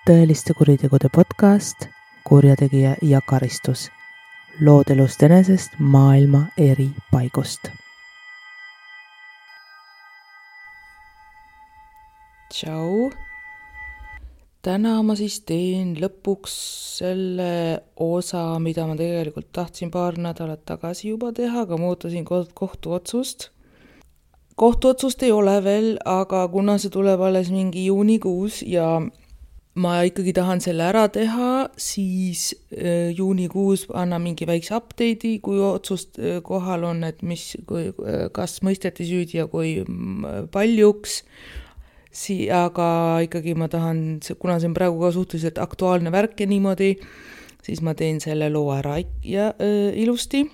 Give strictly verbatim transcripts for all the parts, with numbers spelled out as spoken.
tõeliste kuritegude podcast Kurjategija ja karistus. Lood elust enesest maailma eri paigust. Tšau! Täna ma siis teen lõpuks selle osa, mida ma tegelikult tahtsin paar nädalat tagasi juba teha, aga ma ootasin kohtuotsust. Kohtuotsust ei ole veel, aga kuna see tuleb alles mingi juunikuus ja ma ikkagi tahan selle ära teha, siis juunikuus anna mingi väikse update'i, kui otsust kohal on, et mis, kui, kas mõisteti süüdi ja kui paljuks. Si- aga ikkagi ma tahan, kuna see on praegu ka suhteliselt aktuaalne värk ja niimoodi, siis ma teen selle loo ära ja äh, ilusti.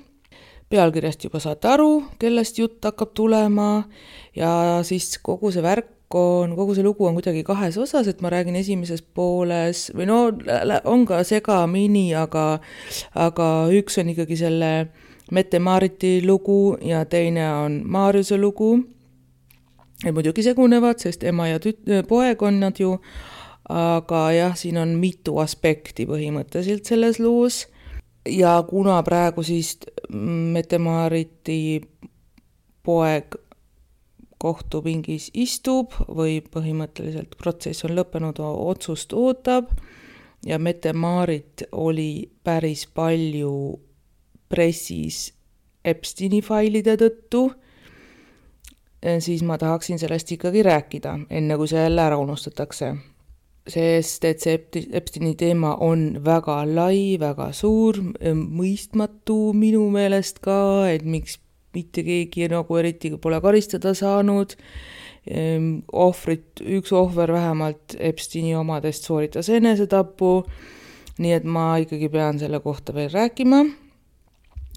Pealkirjast juba saate aru, kellest jutt hakkab tulema ja siis kogu see värk on, kogu see lugu on kuidagi kahes osas, et ma räägin esimeses pooles, või no on ka segamini, aga, aga üks on ikkagi selle Mette-Maariti lugu ja teine on Maarjuse lugu. Ja muidugi segunevad, sest ema ja tüt- poeg on nad ju, aga jah, siin on mitu aspekti põhimõtteliselt selles loos. Ja kuna praegu siis Mette-Maariti poeg kohtupingis istub või põhimõtteliselt protsess on lõppenud, otsust ootab ja Mette-Maarit oli päris palju pressis Epsteini failide tõttu, siis ma tahaksin sellest ikkagi rääkida, enne kui see jälle ära unustatakse. Sest et see Epsteini teema on väga lai, väga suur, mõistmatu minu meelest ka, et miks mitte keegi nagu eriti pole karistada saanud. Ohvrit, üks ohver vähemalt Epsteini omadest sooritas enesetapu, nii et ma ikkagi pean selle kohta veel rääkima.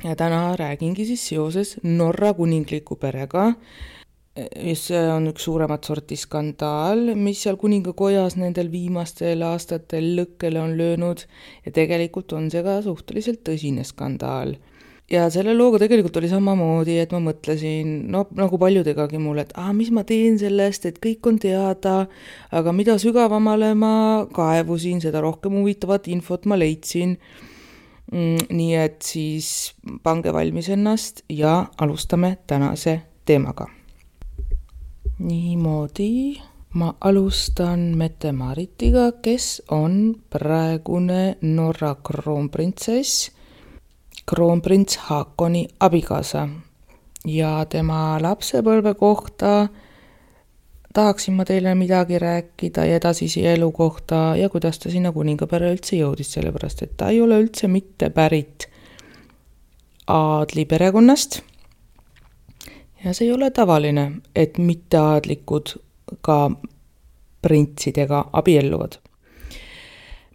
Ja täna räägingi siis seoses Norra kuningliku perega. See on üks suuremat sorti skandaal, mis seal kuningakojas nendel viimastel aastatel lõkkele on löönud ja tegelikult on see ka suhteliselt tõsine skandaal. Ja selle looga tegelikult oli samamoodi, et ma mõtlesin, no nagu paljudegagi mulle, et ah, mis ma teen sellest, et kõik on teada, aga mida sügavamale ma kaevusin, seda rohkem huvitavat infot ma leidsin. Nii et siis pange valmis ennast ja alustame tänase teemaga. Niimoodi, ma alustan Mette-Maaritiga, kes on praegune Norra kroonprintsess, kroonprints Haakoni abikaasa ja tema lapsepõlve kohta tahaksin ma teile midagi rääkida ja edasisi elu kohta ja kuidas ta sinna kuningapere üldse jõudis, sellepärast et ta ei ole üldse mitte pärit aadli perekonnast. Ja see ei ole tavaline, et mitteaadlikud ka printsidega abielluvad.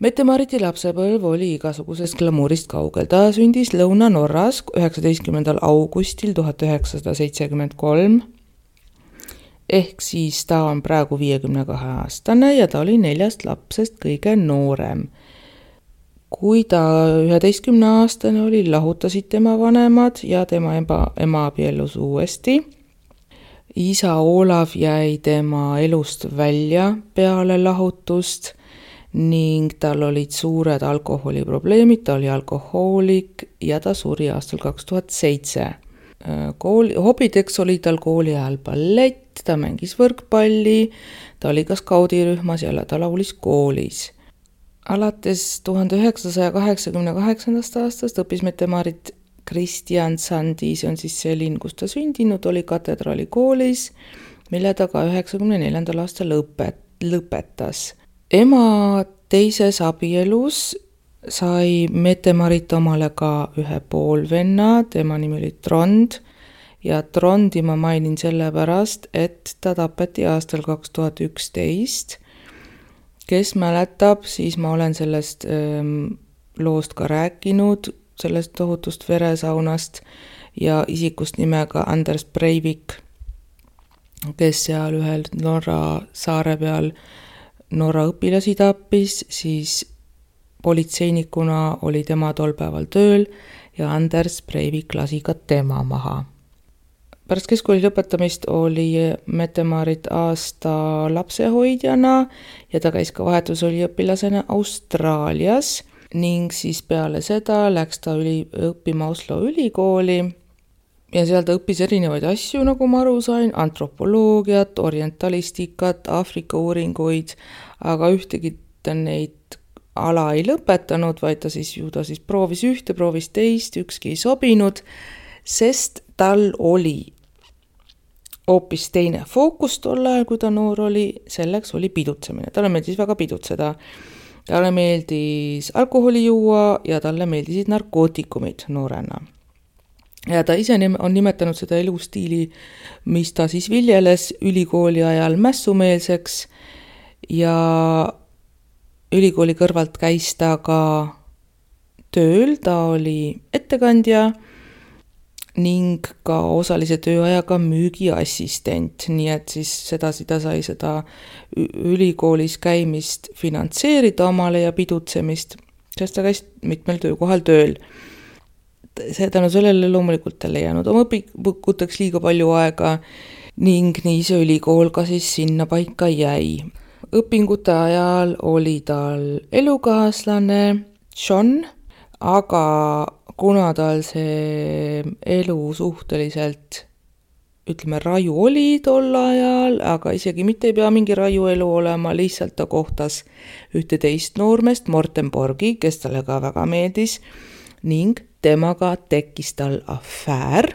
Mette-Maariti lapsepõlv oli igasugusest glamuurist kaugel. Ta sündis Lõuna-Norras üheksateistkümnendal augustil tuhat üheksasada seitsekümmend kolm. Ehk siis ta on praegu viiekümne kahe aastane ja ta oli neljast lapsest kõige noorem. Kui ta üheteistkümne aastane oli, lahutasid tema vanemad ja tema ema, ema abiellus uuesti. Isa Olav jäi tema elust välja peale lahutust ning tal olid suured alkoholiprobleemid, ta oli alkohoolik ja ta suri aastal kaks tuhat seitse. Kooli, hobideks oli tal kooli ajal ballett, ta mängis võrkpalli, ta oli ka skaudirühmas ja ta laulis koolis. Alates tuhande üheksasaja kaheksakümne kaheksandast aastast õppis Mette-Maarit Kristiansandi, see on siis see linn, kus ta sündinud, oli katedraali koolis, mille ta ka üheksakümne neljandal aastal lõpet, lõpetas. Ema teises abielus sai Mette-Maarit omale ka ühe poolvenna, tema nimi oli Trond ja Trondi ma mainin sellepärast, et ta tapeti aastal kaks tuhat üksteist. Kes mäletab, siis ma olen sellest ähm, loost ka rääkinud, sellest tohutust veresaunast ja isikust nimega Anders Breivik, kes seal ühel Norra saare peal Norra õpilasi tappis, siis politseinikuna oli tema tol päeval tööl ja Anders Breivik lasi ka tema maha. pärast keskkooli lõpetamist oli Mette-Maarit aasta lapsehoidjana ja ta käis ka vahetusüliõpilasena Austraalias ning siis peale seda läks ta üli, õppima Oslo ülikooli ja seal ta õppis erinevaid asju, nagu ma aru sain, antropoloogiat, orientalistikat, Aafrika uuringuid, aga ühtegi ta neid ala ei lõpetanud, vaid ta siis ju ta siis proovis ühte, proovis teist, ükski ei sobinud, sest tal oli hoopis teine fookus tol ajal, kui ta noor oli, selleks oli pidutsemine. Talle meeldis väga pidutseda. Talle meeldis alkoholi juua ja talle meeldisid narkootikumid noorena. Ja ta ise on nimetanud seda elustiili, mis ta siis viljeles ülikooli ajal mässumeelseks ja ülikooli kõrvalt käis ta ka tööl, ta oli ettekandja ning ka osalise tööajaga müügiassistent, nii et siis sedasi ta sai seda ülikoolis käimist finantseerida omale ja pidutsemist, sest ta käis mitmel töökohal tööl. See tänu sellele loomulikult tal ei jäänud oma õpikuteks liiga palju aega ning nii see ülikool ka siis sinna paika jäi. Õpingute ajal oli tal elukaaslane John, aga kuna tal see elu suhteliselt, ütleme, raju oli tol ajal, aga isegi mitte ei pea mingi raju elu olema, lihtsalt ta kohtas ühte teist noormest, Morten Borgi, kes talle ka väga meeldis, ning temaga tekkis tal afäär.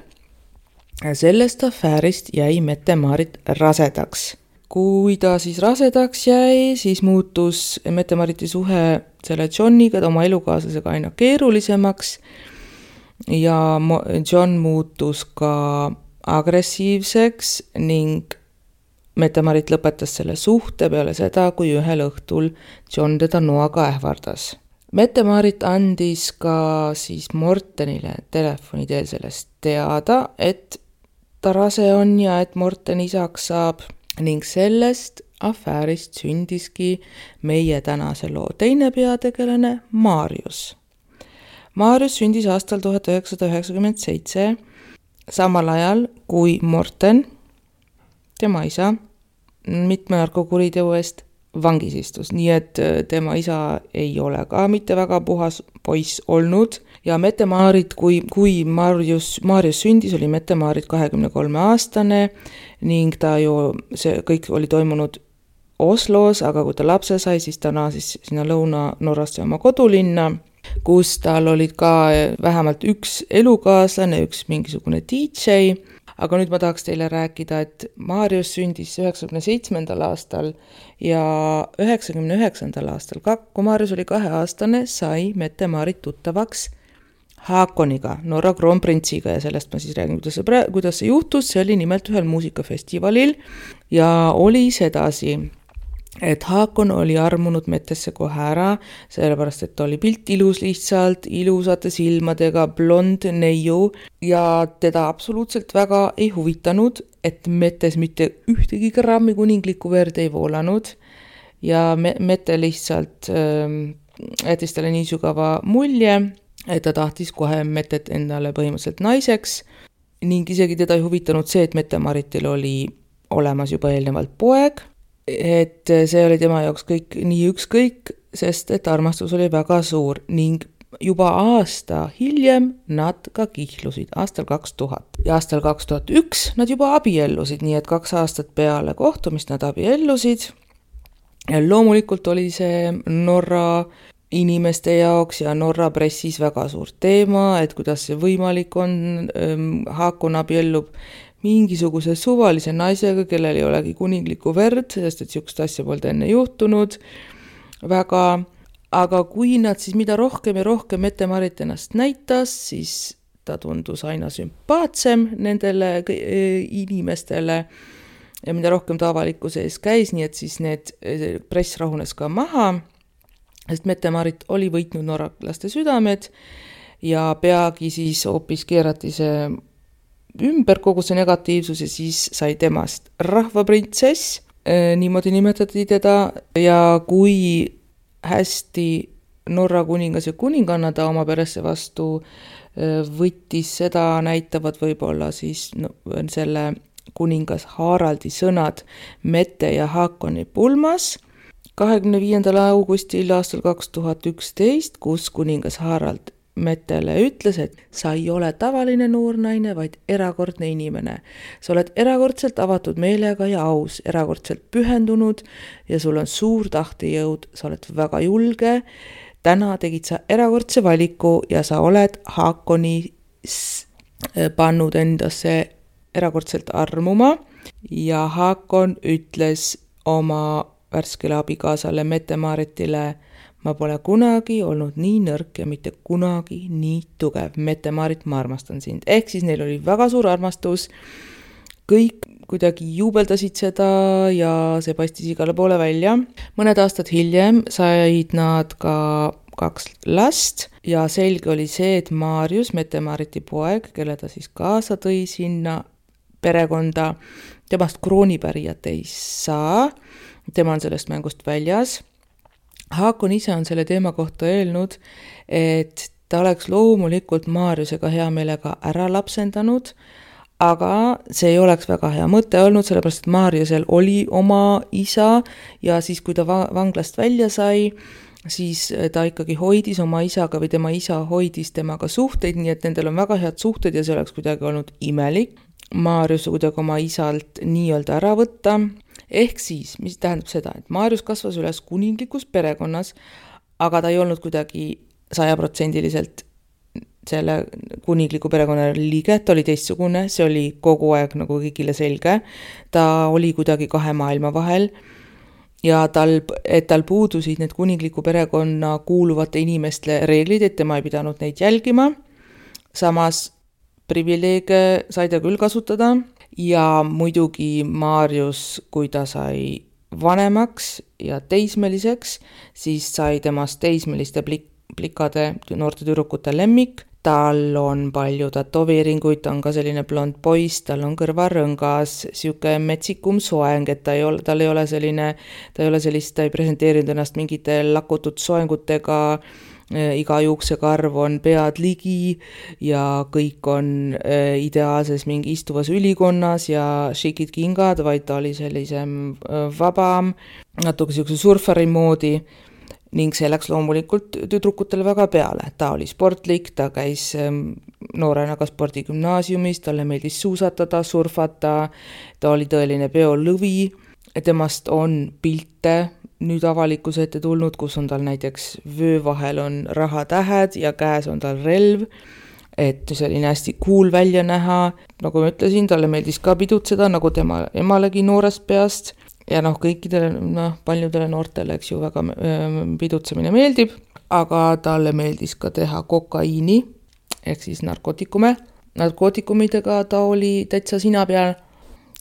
Sellest afäärist jäi Mette-Maarit rasedaks. Kui ta siis rasedaks jäi, siis muutus Mette-Maariti suhe selle Johniga, oma elukaaslasega aina keerulisemaks ja John muutus ka agressiivseks ning Mette-Maarit lõpetas selle suhte peale seda, kui ühel õhtul John teda noaga ähvardas. Mette-Maarit andis ka siis Mortenile telefoni teel sellest teada, et ta rase on ja et Morten isaks saab ning sellest afäärist sündiski meie tänase loo teine peategelane Marius. Marius sündis aastal tuhat üheksasada üheksakümmend seitse, samal ajal kui Morten, tema isa, mitme narkokuriteo eest vangis istus, nii et tema isa ei ole ka mitte väga puhas poiss olnud ja Mette-Maarit, kui, kui Marius, Marius sündis, oli Mette-Maarit kahekümne kolme aastane ning ta ju, see kõik oli toimunud Oslos, aga kui ta lapse sai, siis ta naasis sinna Lõuna-Norrasse oma kodulinna, kus tal olid ka vähemalt üks elukaaslane, üks mingisugune D J, aga nüüd ma tahaks teile rääkida, et Marius sündis üheksakümne seitsmendal aastal ja üheksakümne üheksandal aastal, kui Marius oli kaheaastane, sai Mette-Maarit tuttavaks Haakoniga, Norra kroonprintsiga ja sellest ma siis räägin, kuidas see, kuidas see juhtus, see oli nimelt ühel muusikafestivalil ja oli sedasi, et Haakon oli armunud Mettesse kohe ära, sellepärast, et ta oli pilt ilus lihtsalt, ilusate silmadega, blond neiu ja teda absoluutselt väga ei huvitanud, et Mettes mitte ühtegi grammi kuninglikku verd ei voolanud ja Mette lihtsalt äh, jättis talle nii sügava mulje, et ta tahtis kohe Mettet endale põhimõtteliselt naiseks ning isegi teda ei huvitanud see, et Mette-Maaritil oli olemas juba eelnevalt poeg, et see oli tema jaoks kõik nii ükskõik, sest et armastus oli väga suur ning juba aasta hiljem nad ka kihlusid, aastal kaks tuhat. Ja aastal kaks tuhat üks nad juba abiellusid, nii et kaks aastat peale kohtumist nad abiellusid. Ja loomulikult oli see Norra inimeste jaoks ja Norra pressis väga suur teema, et kuidas see võimalik on, Haakon abiellub mingisuguse suvalise naisega, kellel ei olegi kuninglikku verd, sest et sihukest asja polnud enne juhtunud väga, aga kui nad siis mida rohkem ja rohkem Mette-Maarit ennast näitas, siis ta tundus aina sümpaatsem nendele inimestele ja mida rohkem ta avalikkuse ees käis, nii et siis need press rahunes ka maha, sest Mette-Maarit oli võitnud norraklaste südamed ja peagi siis hoopis keerati see ümber kogu see negatiivsus ja siis sai temast rahvaprintsess, niimoodi nimetati teda ja kui hästi Norra kuningas ja kuninganna ta oma peresse vastu võttis, seda näitavad võib-olla siis no, selle kuningas Haraldi sõnad Mette ja Haakoni pulmas kahekümne viiendal augustil aastal kaks tuhat üksteist, kus kuningas Harald Mettele ütles, et sa ei ole tavaline noor naine, vaid erakordne inimene. Sa oled erakordselt avatud meelega ja aus, erakordselt pühendunud ja sul on suur tahtejõud, sa oled väga julge. Täna tegid sa erakordse valiku ja sa oled Haakoni pannud endasse erakordselt armuma ja Haakon ütles oma värskele abikaasale Mette-Maaritile, ma pole kunagi olnud nii nõrk ja mitte kunagi nii tugev. Mette-Maarit, ma armastan sind. Ehk siis neil oli väga suur armastus. Kõik kuidagi juubeldasid seda ja see paistis igale poole välja. Mõned aastad hiljem said nad ka kaks last ja selge oli see, et Marius, Mette-Maariti poeg, kelle ta siis kaasa tõi sinna perekonda, temast kroonipärijat ei saa. Tema on sellest mängust väljas. Haakon ise on selle teema kohta öelnud, et ta oleks loomulikult Mariusega hea meelega ära lapsendanud, aga see ei oleks väga hea mõte olnud, sellepärast et Mariusel oli oma isa ja siis, kui ta vanglast välja sai, siis ta ikkagi hoidis oma isaga või tema isa hoidis temaga suhteid, nii et nendel on väga head suhted ja see oleks kuidagi olnud imelik Marius kuidagi oma isalt nii-öelda ära võtta. Ehk siis, mis tähendab seda, et Marius kasvas üles kuninglikus perekonnas, aga ta ei olnud kuidagi sajaprotsendiliselt selle kuningliku perekonna liige, ta oli teistsugune, see oli kogu aeg nagu kõigile selge. Ta oli kuidagi kahe maailma vahel ja tal, et tal puudusid need kuningliku perekonna kuuluvate inimeste reeglid, et tema ei pidanud neid jälgima. Samas privileege sai ta küll kasutada ja muidugi Marius, kui ta sai vanemaks ja teismeliseks, siis sai temast teismeliste plik- plikade noorte tüdrukute lemmik. Tal on palju tätoveeringuid, ta on ka selline blond poiss, tal on kõrvarõngas, siuke metsikum soeng, et ta ei ole, tal ei ole selline, ta ei ole sellist, ta ei presenteerinud ennast mingite lakutud soengutega, iga juuksekarv on pead ligi ja kõik on ideaalses mingi istuvas ülikonnas ja šikid kingad, vaid ta oli sellisem vabam, natuke siukse surfari moodi. Ning see läks loomulikult tüdrukutele väga peale. Ta oli sportlik, ta käis noorena ka spordigümnaasiumis, talle meeldis suusatada, surfata, ta oli tõeline peolõvi. Temast on pilte nüüd avalikkuse ette tulnud, kus on tal näiteks vöö vahel on rahatähed ja käes on tal relv, et selline hästi cool välja näha. Nagu ma ütlesin, talle meeldis ka pidutseda, nagu tema emalegi noorest peast. Ja noh, kõikidele, noh, paljudele noortele, eks ju, väga pidutsemine meeldib, aga talle meeldis ka teha kokaiini, ehk siis narkootikume. Narkootikumidega ta oli täitsa sina peal.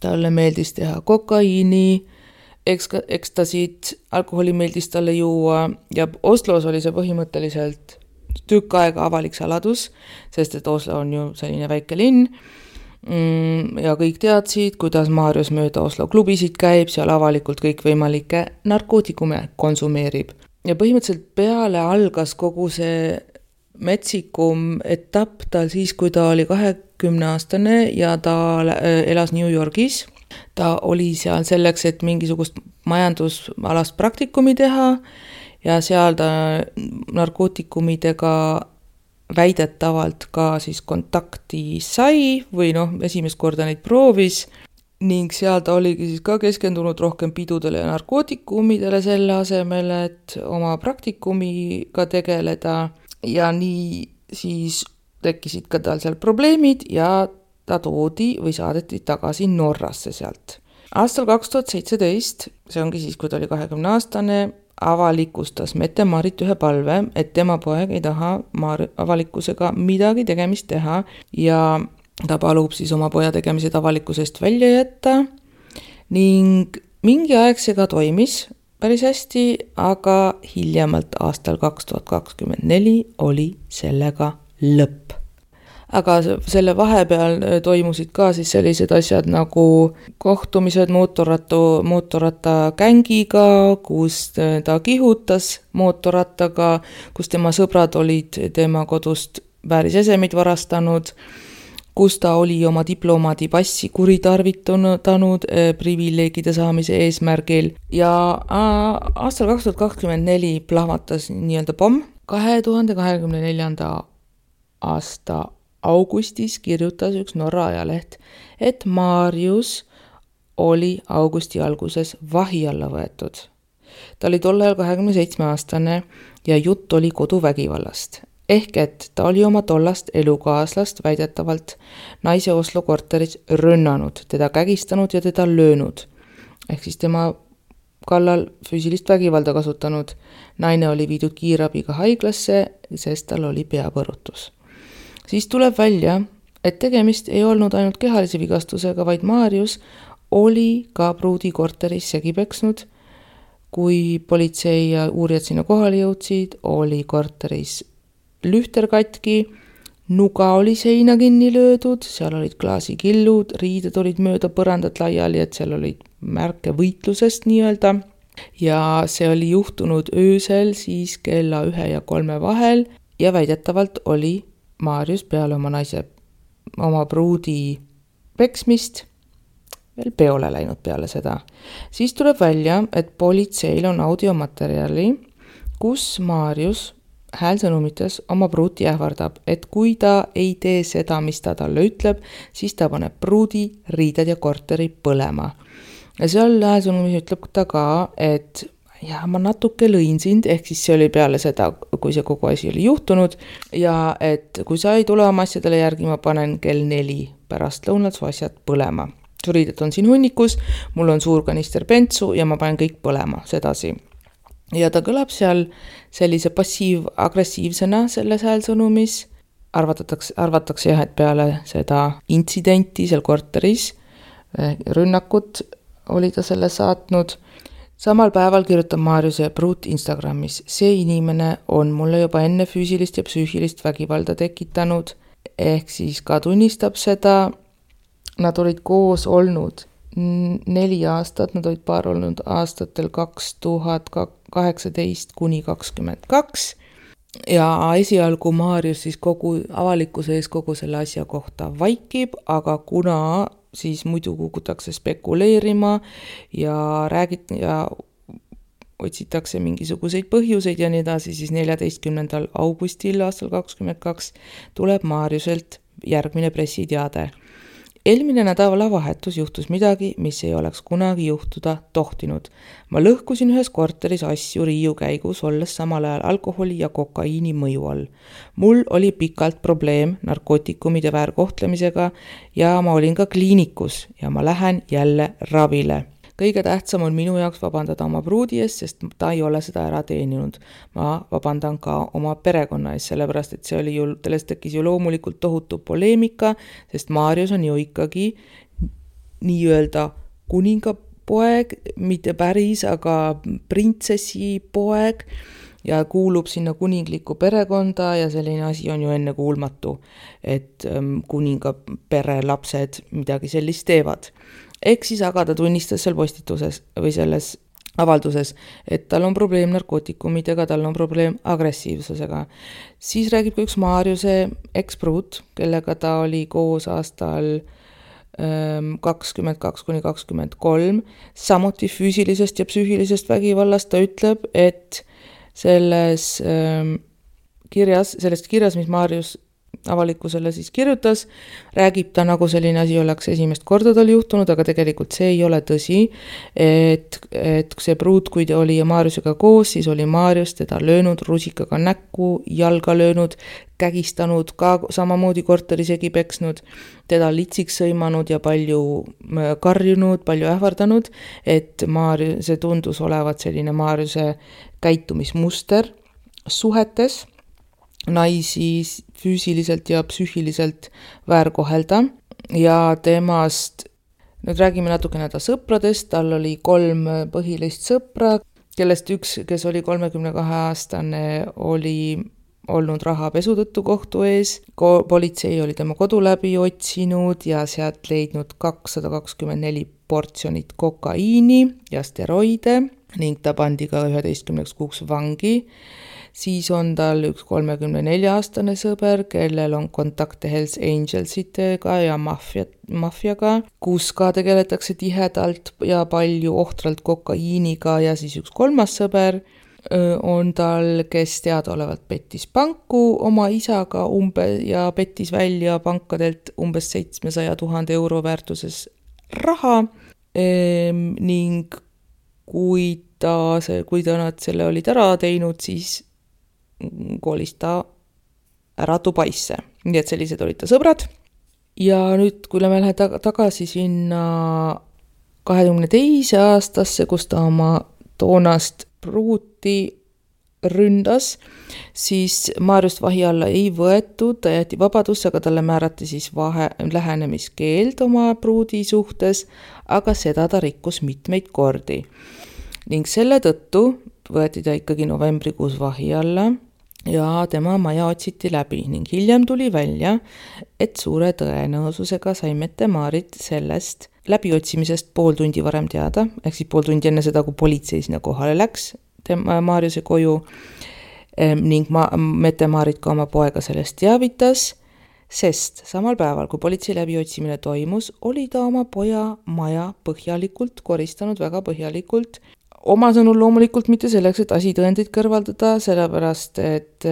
Talle meeldis teha kokaiini, ekstasid, alkoholi meeldis talle juua ja Oslos oli see põhimõtteliselt tükk aega avalik saladus, sest et Oslo on ju selline väike linn. Ja kõik teadsid, kuidas Marius mööda Oslo klubisid käib, seal avalikult kõik võimalikke narkootikume konsumeerib. Ja põhimõtteliselt peale algas kogu see metsikum etapp tal siis, kui ta oli kahekümne aastane ja ta elas New Yorgis. Ta oli seal selleks, et mingisugust majandusalast praktikumi teha ja seal ta narkootikumidega väidetavalt ka siis kontakti sai või noh, esimest korda neid proovis ning seal ta oligi siis ka keskendunud rohkem pidudele ja narkootikumidele selle asemel, et oma praktikumiga tegeleda ja nii siis tekkisid ka tal seal probleemid ja ta toodi või saadeti tagasi Norrasse sealt. Aastal kaks tuhat seitseteist, see ongi siis, kui ta oli kahekümne aastane, avalikustas Mette-Maarit ühe palve, et tema poeg ei taha Mar- avalikkusega midagi tegemist teha ja ta palub siis oma poja tegemised avalikkusest välja jätta ning mingi aeg see ka toimis päris hästi, aga hiljemalt aastal kaks tuhat kakskümmend neli oli sellega lõpp. aga selle vahepeal toimusid ka siis sellised asjad nagu kohtumised mootorratu, mootorrattagängiga, kus ta kihutas mootorrattaga, kus tema sõbrad olid tema kodust väärisesemid varastanud, kus ta oli oma diplomaadi passi kuritarvitanud privileegide saamise eesmärgil ja aastal kaks tuhat kakskümmend neli plahvatas nii-öelda pomm. kahe tuhande kahekümne neljanda aasta augustis kirjutas üks Norra ajaleht, et Marius oli augusti alguses vahi alla võetud. Ta oli tol ajal kahekümne seitsme aastane ja jutt oli koduvägivallast. Ehk et ta oli oma tollast elukaaslast väidetavalt naise Oslo korteris rünnanud, teda kägistanud ja teda löönud. Ehk siis tema kallal füüsilist vägivalda kasutanud. Naine oli viidud kiirabiga haiglasse, sest tal oli peapõrutus. Siis tuleb välja, et tegemist ei olnud ainult kehalise vigastusega, vaid Marius oli ka pruudi korteris segi peksnud. Kui politsei ja uurijad sinna kohale jõudsid, oli korteris lühter katki, nuga oli seina kinni löödud, seal olid klaasikillud, riided olid mööda põrandat laiali, et seal olid märke võitlusest nii-öelda. Ja see oli juhtunud öösel siis kella ühe ja kolme vahel ja väidetavalt oli Marius peale oma naise, oma pruudi peksmist veel peole läinud peale seda. Siis tuleb välja, et politseil on audiomaterjali, kus Marius häälsõnumites oma pruuti ähvardab, et kui ta ei tee seda, mis ta talle ütleb, siis ta paneb pruudi, riided ja korteri põlema. Ja seal häälsõnumis ütleb ta ka, et ja ma natuke lõin sind, ehk siis see oli peale seda, kui see kogu asi oli juhtunud, ja et kui sa ei tule oma asjadele järgi, ma panen kell neli pärast lõunat su asjad põlema. Su riided on siin hunnikus, mul on suur kanister bentsu ja ma panen kõik põlema sedasi. Ja ta kõlab seal sellise passiiv-agressiivsena selles häälsõnumis. Arvatatakse, arvatakse jah, et peale seda intsidenti seal korteris, rünnakut oli ta selle saatnud. Samal päeval kirjutab Mariuse pruut Instagramis. See inimene on mulle juba enne füüsilist ja psüühilist vägivalda tekitanud. Ehk siis ka tunnistab seda. Nad olid koos olnud neli aastat, nad olid paar olnud aastatel kaks tuhat kaheksateist kuni kakskümmend kaks ja esialgu Marius siis kogu avalikkuse ees kogu selle asja kohta vaikib, aga kuna siis muidu kukutakse spekuleerima ja räägit ja otsitakse mingisuguseid põhjuseid ja nii edasi, siis neljateistkümnendal augustil aastal kakskümmend kaks tuleb Mariuselt järgmine pressiteade. Eelmine nädalavahetus juhtus midagi, mis ei oleks kunagi juhtuda tohtinud. Ma lõhkusin ühes korteris asju riiu käigus, olles samal ajal alkoholi ja kokaiini mõju all. Mul oli pikalt probleem narkootikumide väärkohtlemisega ja ma olin ka kliinikus ja ma lähen jälle ravile. Kõige tähtsam on minu jaoks vabandada oma pruudi ees, sest ta ei ole seda ära teeninud. Ma vabandan ka oma perekonna ees, sellepärast et see oli ju, sellest tekkis ju loomulikult tohutu poleemika, sest Marius on ju ikkagi nii-öelda kuningapoeg, mitte päris, aga printsessi poeg ja kuulub sinna kuningliku perekonda ja selline asi on ju enne kuulmatu, et kuninga pere lapsed midagi sellist teevad. Ehk siis aga ta tunnistas seal postituses või selles avalduses, et tal on probleem narkootikumidega, tal on probleem agressiivsusega. Siis räägib ka üks Mariuse ekspruut, kellega ta oli koos aastal kakskümmend kaks kuni kakskümmend kolm. Samuti füüsilisest ja psüühilisest vägivallast ta ütleb, et selles kirjas, sellest kirjas, mis Marius avalikkusele siis kirjutas, räägib ta nagu selline asi oleks esimest korda tal juhtunud, aga tegelikult see ei ole tõsi, et, et see pruut, kui ta oli Mariusega koos, siis oli Marius teda löönud rusikaga näkku, jalga löönud, kägistanud, ka samamoodi korterisegi peksnud, teda litsiks sõimanud ja palju karjunud, palju ähvardanud, et Marius, see tundus olevat selline Mariuse käitumismuster suhetes, naisi füüsiliselt ja psüühiliselt väärkohelda ja temast, nüüd räägime natukene ta sõpradest, tal oli kolm põhilist sõpra, kellest üks, kes oli kolmekümne kahe aastane, oli olnud rahapesu tõttu kohtu ees. Ko- politsei oli tema kodu läbi otsinud ja sealt leidnud kakssada kakskümmend neli portsjonit kokaiini ja steroide ning ta pandi ka üheteistkümneks kuuks vangi. Siis on tal üks kolmekümne nelja aastane sõber, kellel on kontakte Hells Angelsitega ja maffia, maffiaga, kus ka tegeletakse tihedalt ja palju ohtralt kokaiiniga, ja siis üks kolmas sõber on tal, kes teadaolevalt pettis panku oma isaga umbe ja pettis välja pankadelt umbes seitsmesaja tuhande euro väärtuses raha ehm, ning kui ta, see, kui ta nad selle olid ära teinud, siis kolis ta ära Dubaisse. Nii et sellised olid ta sõbrad. Ja nüüd, kui me lähen tag- tagasi sinna kahekümne teise aastasse, kus ta oma toonast pruuti ründas, siis Maarjust vahi alla ei võetud, ta jäeti vabadusse, aga talle määrati siis vahe, lähenemiskeeld oma pruudi suhtes, aga seda ta rikkus mitmeid kordi. Ning selle tõttu võeti ta ikkagi novembrikuus vahi alla ja tema maja otsiti läbi ning hiljem tuli välja, et suure tõenäosusega sai Mette-Maarit sellest läbiotsimisest pool tundi varem teada, ehk siis pool tundi enne seda, kui politsei sinna kohale läks tema Maarjuse koju ning ma, Mette-Maarit ka oma poega sellest teavitas, sest samal päeval, kui politsei läbiotsimine toimus, oli ta oma poja maja põhjalikult koristanud, väga põhjalikult. Oma sõnul loomulikult mitte selleks, et asitõendeid kõrvaldada, sellepärast, et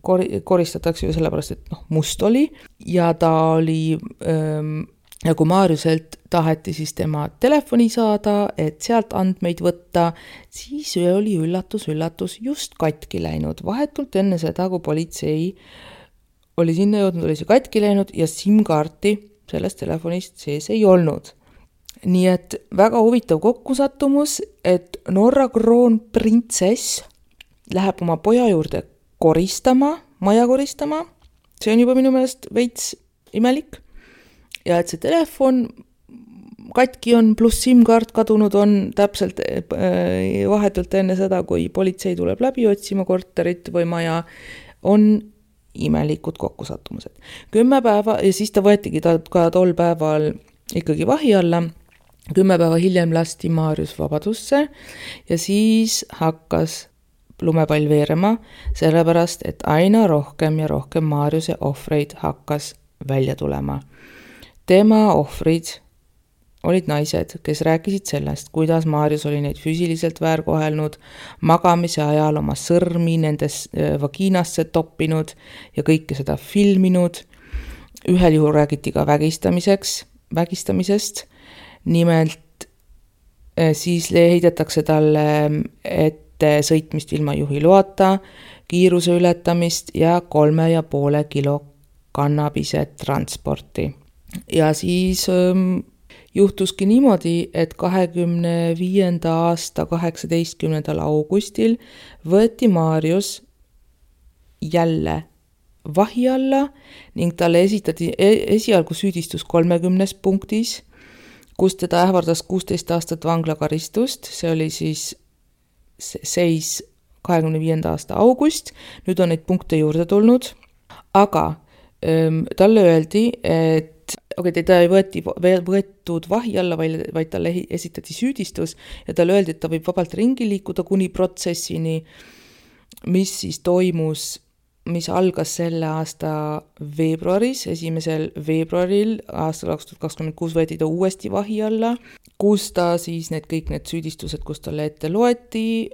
kor- koristatakse ju sellepärast, et noh, must oli ja ta oli, ähm, ja kui Maarjuselt taheti siis tema telefoni saada, et sealt andmeid võtta, siis oli üllatus, üllatus just katki läinud. Vahetult enne seda, kui politsei oli sinna jõudnud, oli see katki läinud ja SIM-kaarti sellest telefonist sees ei olnud. Nii et väga huvitav kokkusattumus, et Norra kroonprintsess läheb oma poja juurde koristama, maja koristama. See on juba minu meelest veits imelik. Ja et see telefon katki on, pluss SIM-kaart kadunud on täpselt vahetult enne seda, kui politsei tuleb läbi otsima korterit või maja, on imelikud kokkusattumused. Kümme päeva, ja siis ta võetigi ta ka tol päeval ikkagi vahi alla. Kümme päeva hiljem lasti Maarjus vabadusse ja siis hakkas lumepall veerema, sellepärast, et aina rohkem ja rohkem Maarjuse ohvreid hakkas välja tulema. Tema ohvrid olid naised, kes rääkisid sellest, kuidas Maarjus oli neid füüsiliselt väärkohelnud, magamise ajal oma sõrmi nendes vagiinasse toppinud ja kõike seda filminud. Ühel juhul räägiti ka vägistamiseks, vägistamisest. Nimelt siis heidetakse talle ette sõitmist ilma juhiloata, kiiruse ületamist ja kolme ja poole kilo kannabise transporti. Ja siis ähm, juhtuski niimoodi, et kahekümne viienda aasta kaheksateistkümnendal augustil võeti Maarjus jälle vahi alla ning talle esitati esialgu süüdistus kolmekümnes punktis, kus teda ähvardas kuusteist aastat vanglakaristust, see oli siis seis kahekümne viienda aasta august, nüüd on neid punkte juurde tulnud, aga ähm, talle öeldi, et okay, teda ei võeti, võetud vahi alla, vaid, vaid talle esitati süüdistus ja talle öeldi, et ta võib vabalt ringi liikuda kuni protsessini, mis siis toimus, mis algas selle aasta veebruaris, esimesel veebruaril aastal kaks tuhat kakskümmend kuus võeti ta uuesti vahi alla, kus ta siis need kõik need süüdistused, kus talle ette loeti,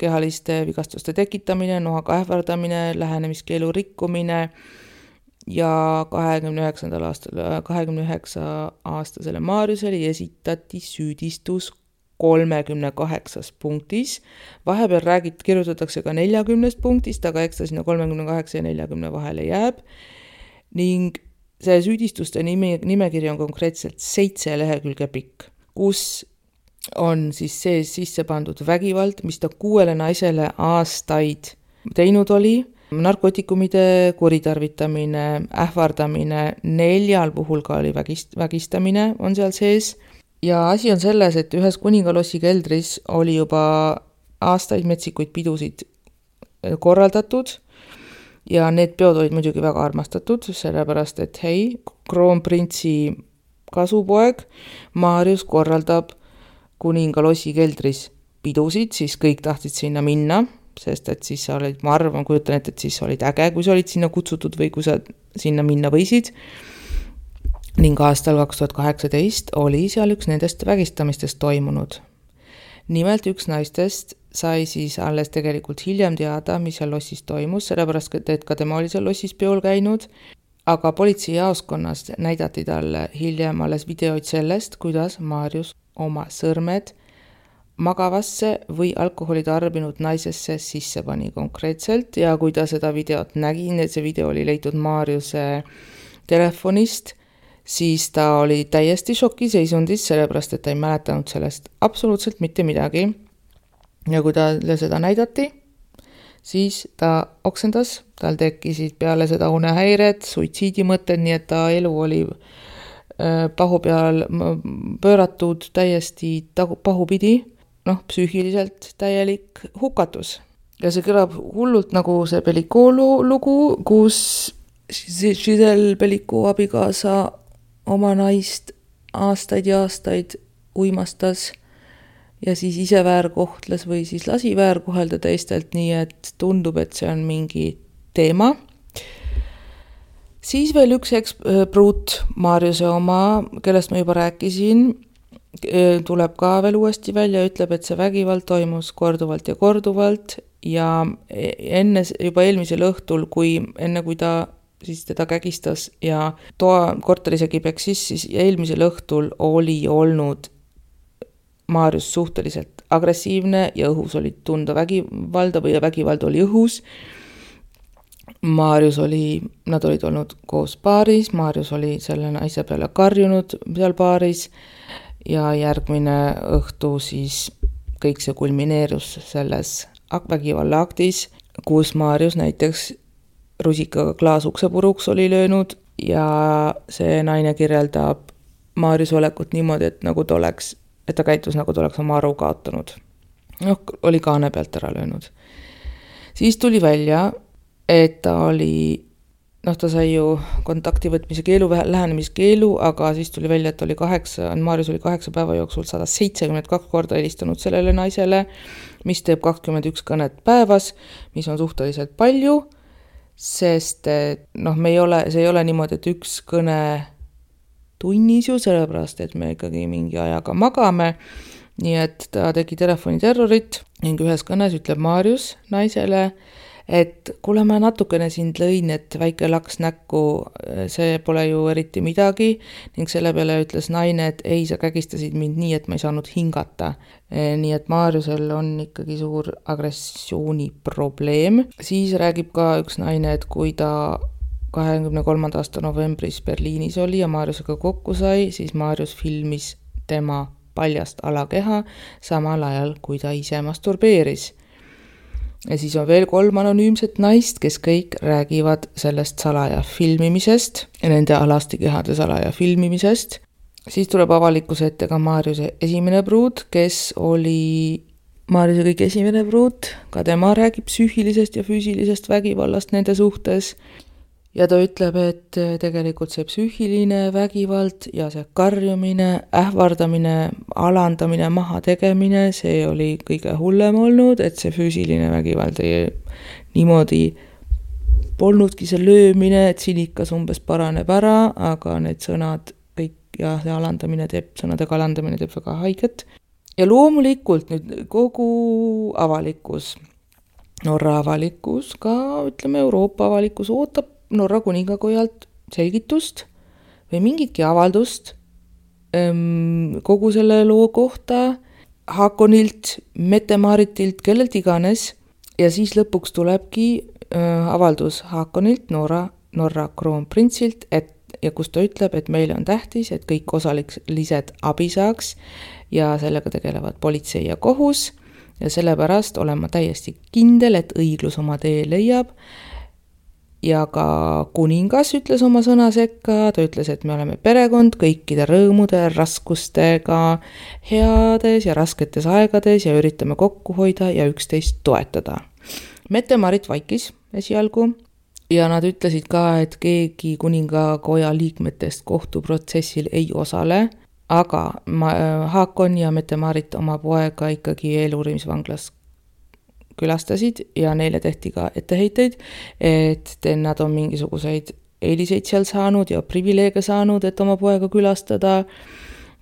kehaliste vigastuste tekitamine, noaga ähvardamine, lähenemiskeelu rikkumine ja kahekümne üheksandal aastal, kahekümne üheksa aastasele Maarjusele esitati süüdistus kolmekümne kaheksas punktis. Vahepeal räägit, kirjutatakse ka neljakümnest punktist, aga eks ta sinna kolmekümne kaheksa ja neljakümne vahele jääb. Ning see süüdistuste nime, nimekiri on konkreetselt seitse lehekülge pikk, kus on siis sees sisse pandud vägivald, mis ta kuuele naisele aastaid teinud oli, narkootikumide kuritarvitamine, ähvardamine, neljal puhul ka oli vägist, vägistamine on seal sees. Ja asi on selles, et ühes kuningalossi keldris oli juba aastaid metsikuid pidusid korraldatud ja need peod olid muidugi väga armastatud, sellepärast et hei, kroonprintsi kasupoeg Maarjus korraldab kuninga lossi keldris pidusid, siis kõik tahtsid sinna minna, sest et siis sa olid, ma arvan, kujutan ette, et siis olid äge, kui sa olid sinna kutsutud või kui sa sinna minna võisid. Ning aastal kaks tuhat kaheksateist oli seal üks nendest vägistamistest toimunud. Nimelt üks naistest sai siis alles tegelikult hiljem teada, mis seal lossis toimus, sellepärast et ka tema oli seal lossis peol käinud, aga politseijaoskonnas näidati talle hiljem alles videoid sellest, kuidas Maarjus oma sõrmed magavasse või alkoholi tarbinud naisesse sisse pani konkreetselt ja kui ta seda videot nägi, et see video oli leitud Maarjuse telefonist, siis ta oli täiesti šokiseisundis, sellepärast et ta ei mäletanud sellest absoluutselt mitte midagi. Ja kui talle seda näidati, siis ta oksendas, tal tekkisid peale seda unehäired, suitsiidimõtted, nii et ta elu oli pahu peal pööratud täiesti pahupidi, noh, psüühiliselt täielik hukatus. Ja see kõlab hullult nagu see Bellicot lugu, kus Giselle Bellicot abikaasa oma naist aastaid ja aastaid uimastas ja siis ise väärkohtles või siis lasi väärkohelda teistelt, nii et tundub, et see on mingi teema. Siis veel üks ekspruut Maarjuse oma, kellest ma juba rääkisin, tuleb ka veel uuesti välja, ütleb, et see vägivald toimus korduvalt ja korduvalt ja enne, juba eelmisel õhtul, kui, enne kui ta siis teda kägistas ja toa korterisegi peksis, siis eelmisel õhtul oli olnud Maarjus suhteliselt agressiivne ja õhus oli tunda vägivalda või vägivald oli õhus. Maarjus oli, nad olid olnud koos paaris, Maarjus oli selle naise peale karjunud seal paaris ja järgmine õhtu siis kõik see kulmineerus selles vägivalla aktis, kus Maarjus näiteks rusikaga klaasukse puruks oli löönud ja see naine kirjeldab Maarjus olekut niimoodi, et nagu ta oleks et ta käitus nagu ta oleks oma aru kaotanud. Noh, oli kaane pealt ära löönud. Siis tuli välja, et ta oli, noh, ta sai ju kontakti võtmise keelu, lähenemiskeelu, aga siis tuli välja, et oli kaheksa, Maarjus oli kaheksa päeva jooksul sada seitsekümmend kaks korda helistanud sellele naisele, mis teeb kakskümmend üks kõnet päevas, mis on suhteliselt palju, sest noh, me ei ole, see ei ole niimoodi, et üks kõne tunnis ju, sellepärast, et me ikkagi mingi ajaga magame, nii et ta tegi telefoniterrorit ning ühes kõnes ütleb Maarjus naisele, et kuule, ma natukene sind lõin, et väike laks näkku, see pole ju eriti midagi ning selle peale ütles naine, et ei, sa kägistasid mind nii, et ma ei saanud hingata. Nii et Maarjusel on ikkagi suur agressiooni probleem. Siis räägib ka üks naine, et kui ta kahekümne kolmanda aasta novembris Berliinis oli ja Maarjusega kokku sai, siis Maarjus filmis tema paljast alakeha samal ajal, kui ta ise masturbeeris. Ja siis on veel kolm anonüümset naist, kes kõik räägivad sellest salaja filmimisest ja nende alastikehade salaja filmimisest. Siis tuleb avalikkuse ette ka Maarjuse esimene pruut, kes oli Maarjuse kõik esimene pruut, ka tema räägib psüühilisest ja füüsilisest vägivallast nende suhtes. Ja ta ütleb, et tegelikult see psüühiline vägivald ja see karjumine, ähvardamine, alandamine, maha tegemine, see oli kõige hullem olnud, et see füüsiline vägivald ei niimoodi polnudki see löömine, et sinikas umbes paraneb ära, aga need sõnad kõik ja see alandamine teeb, sõnadega alandamine teeb väga haiget. Ja loomulikult nüüd kogu avalikkus, Norra avalikkus, ka ütleme Euroopa avalikkus ootab Norra kuningakojalt selgitust või mingitki avaldust kogu selle loo kohta Haakonilt, Mette-Maritilt, kellelt iganes ja siis lõpuks tulebki avaldus Haakonilt, Norra, Norra kroonprintsilt, et ja kus ta ütleb, et meile on tähtis, et kõik osalised abi saaks ja sellega tegelevad politsei ja kohus ja sellepärast olen ma täiesti kindel, et õiglus oma tee leiab. Ja ka kuningas ütles oma sõna sekka, ta ütles, et me oleme perekond kõikide rõõmude, raskustega, heades ja rasketes aegades ja üritame kokku hoida ja üksteist toetada. Mette-Marit vaikis esialgu, ja nad ütlesid ka, et keegi kuningakoja liikmetest kohtuprotsessil ei osale, aga Haakon ja Mette-Marit oma poega ikkagi eeluurimisvanglas külastasid ja neile tehti ka etteheiteid, et nad on mingisuguseid eeliseid seal saanud ja privileege saanud, et oma poega külastada,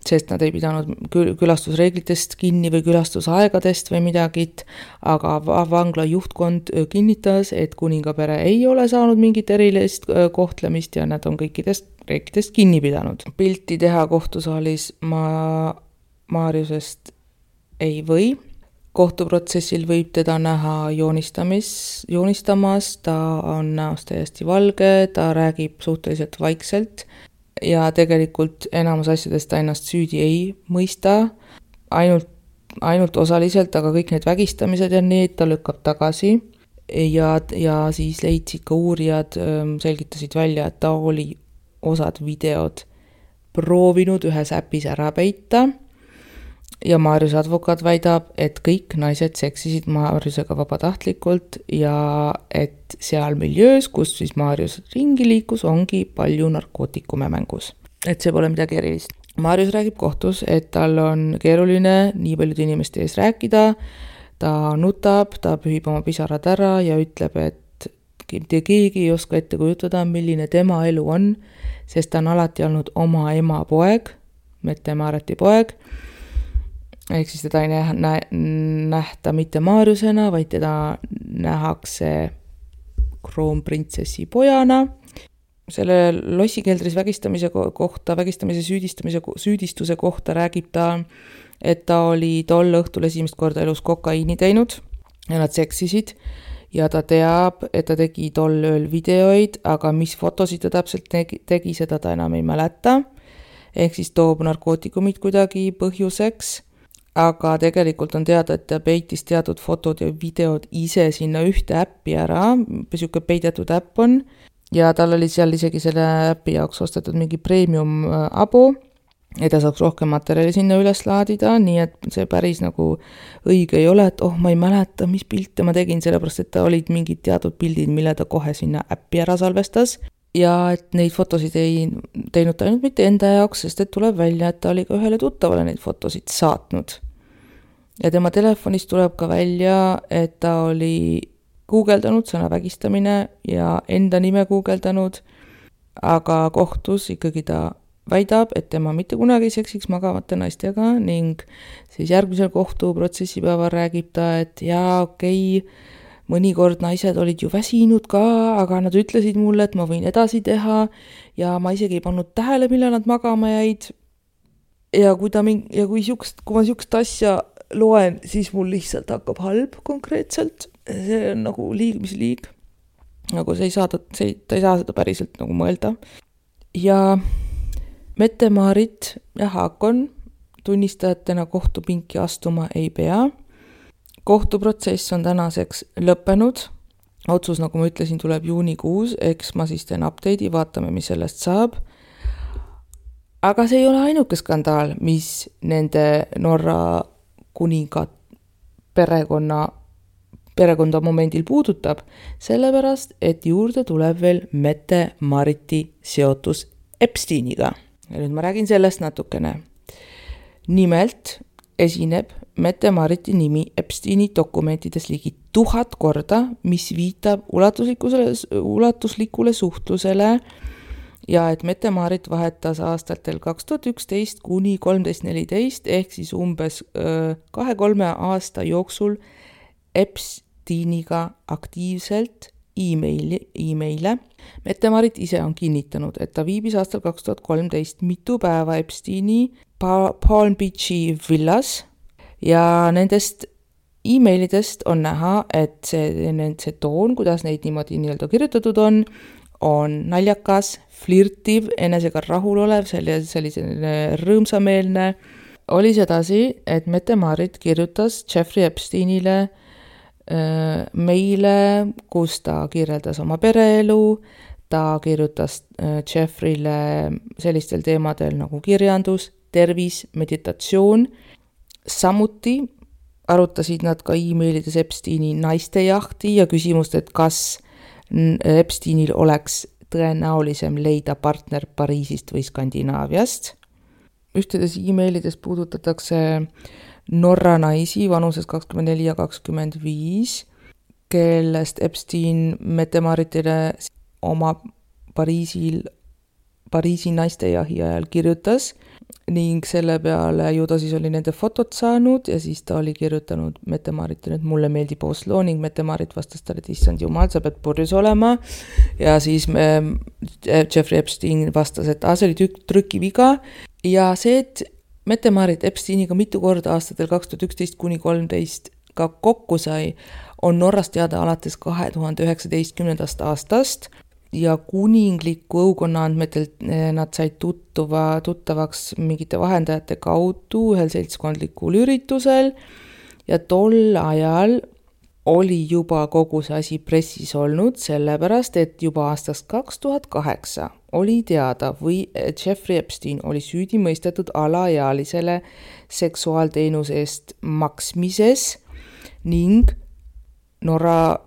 sest nad ei pidanud külastusreeglitest kinni või külastusaegadest või midagit, aga vangla juhtkond kinnitas, et kuningapere ei ole saanud mingit erilist kohtlemist ja nad on kõikidest reeglitest kinni pidanud. Pilti teha kohtusaalis ma Maarjusest ei või. Kohtuprotsessil võib teda näha joonistamis, joonistamas, ta on näost täiesti valge, ta räägib suhteliselt vaikselt ja tegelikult enamus asjadest ta ennast süüdi ei mõista, ainult, ainult osaliselt, aga kõik need vägistamised ja need ta lükkab tagasi ja, ja siis leidsid ka uurijad, selgitasid välja, et ta oli osad videod proovinud ühes äpis ära peita ja Maarjuse advokaat väidab, et kõik naised seksisid Maarjusega vabatahtlikult ja et seal miljöös, kus siis Maarjus ringi liikus, ongi palju narkootikume mängus. Et see pole midagi erilist. Maarjus räägib kohtus, et tal on keeruline nii paljude inimeste ees rääkida, ta nutab, ta pühib oma pisarad ära ja ütleb, et te keegi ei oska ette kujutada, milline tema elu on, sest ta on alati olnud oma ema poeg, Mette-Mariti poeg, ehk siis teda ei nä- nähta mitte Maarjusena, vaid teda nähakse kroonprintsessi pojana. Selle lossikeldris vägistamise kohta, vägistamise süüdistamise, süüdistuse kohta räägib ta, et ta oli tol õhtul esimest korda elus kokaiini teinud ja nad seksisid ja ta teab, et ta tegi tol ööl videoid, aga mis fotosid ta täpselt tegi, tegi seda ta enam ei mäleta, ehk siis toob narkootikumid kuidagi põhjuseks, aga tegelikult on teada, et ta peitis teatud fotod ja videod ise sinna ühte äppi ära, siuke peidetud äpp on, ja tal oli seal isegi selle äppi jaoks ostetud mingi premium abo, et ta saaks rohkem materjali sinna üles laadida, nii et see päris nagu õige ei ole, et oh, ma ei mäleta, mis pilte ma tegin, sellepärast et ta olid mingid teatud pildid, mille ta kohe sinna äppi ära salvestas. Ja et neid fotosid ei teinud ta ainult mitte enda jaoks, sest et tuleb välja, et ta oli ka ühele tuttavale neid fotosid saatnud. Ja tema telefonist tuleb ka välja, et ta oli guugeldanud sõna vägistamine ja enda nime guugeldanud, aga kohtus ikkagi ta väidab, et tema mitte kunagi seksiks magavate naistega ning siis järgmisel kohtuprotsessipäeval räägib ta, et jaa, okei, mõnikord naised olid ju väsinud ka, aga nad ütlesid mulle, et ma võin edasi teha ja ma isegi ei pannud tähele, millal nad magama jäid. Ja kui, ta mingi, ja kui, siukst, kui ma siukest asja loen, siis mul lihtsalt hakkab halb konkreetselt. See on nagu liig, mis liig. Nagu see ei saa, see, ta ei saa seda päriselt nagu mõelda. Ja Mette-Marit ja Haakon tunnistajatena kohtupinki astuma ei pea. Kohtuprotsess on tänaseks lõppenud. Otsus, nagu ma ütlesin, tuleb juunikuus, eks ma siis teen update'i, vaatame, mis sellest saab. Aga see ei ole ainuke skandaal, mis nende Norra kuninga perekonna, perekonda momendil puudutab, sellepärast, et juurde tuleb veel Mette-Mariti seotus Epsteiniga. Ja nüüd ma räägin sellest natukene. Nimelt esineb Mette-Mariti nimi Epsteini dokumentides ligi tuhat korda, mis viitab ulatuslikule, ulatuslikule suhtlusele ja et Mette-Marit vahetas aastatel kaks tuhat üksteist kuni kolmteist neliteist ehk siis umbes kahe-kolme aasta jooksul Epsteiniga aktiivselt e-maili, e-maile. Mette-Marit ise on kinnitanud, et ta viibis aastal kaks tuhat kolmteist mitu päeva Epsteini Palm Beachi villas ja nendest e-mailidest on näha, et see, see toon, kuidas neid niimoodi nii-öelda kirjutatud on, on naljakas, flirtiv, enesega rahulolev, selline rõõmsameelne. Oli sedasi, et Mette-Marit kirjutas Jeffrey Epsteinile äh, meile, kus ta kirjeldas oma pereelu, ta kirjutas äh, Jeffreyle sellistel teemadel nagu kirjandus, tervis, meditatsioon. Samuti arutasid nad ka e-mailides Epsteini naistejahti ja küsimust, et kas Epsteinil oleks tõenäolisem leida partner Pariisist või Skandinaaviast. Ühtedes e-mailides puudutatakse Norra naisi vanuses kakskümmend neli ja kakskümmend viis, kellest Epstein Mette-Maritile oma Pariisil, Pariisi naistejahi ajal kirjutas ning selle peale ju ta siis oli nende fotot saanud ja siis ta oli kirjutanud Mette-Maritile, et mulle meeldib Oslo ning Mette-Marit vastas talle, et issand jumal, sa pead purjus olema ja siis me, Jeffrey Epstein vastas, et ah, see oli tük- trükiviga ja see, et Mette-Marit Epsteiniga mitu korda aastatel kaks tuhat üksteist kuni kolmteist ka kokku sai, on Norrast teada alates kahe tuhande üheksateistkümnendast aastast ja kuningliku õukonna andmetel nad said tuttuva, tuttavaks mingite vahendajate kaudu ühel seltskondlikul üritusel ja tol ajal oli juba kogu see asi pressis olnud, sellepärast, et juba aastast kaks tuhat kaheksa oli teada või Jeffrey Epstein oli süüdi mõistetud alaealisele seksuaalteenuse eest maksmises ning Norra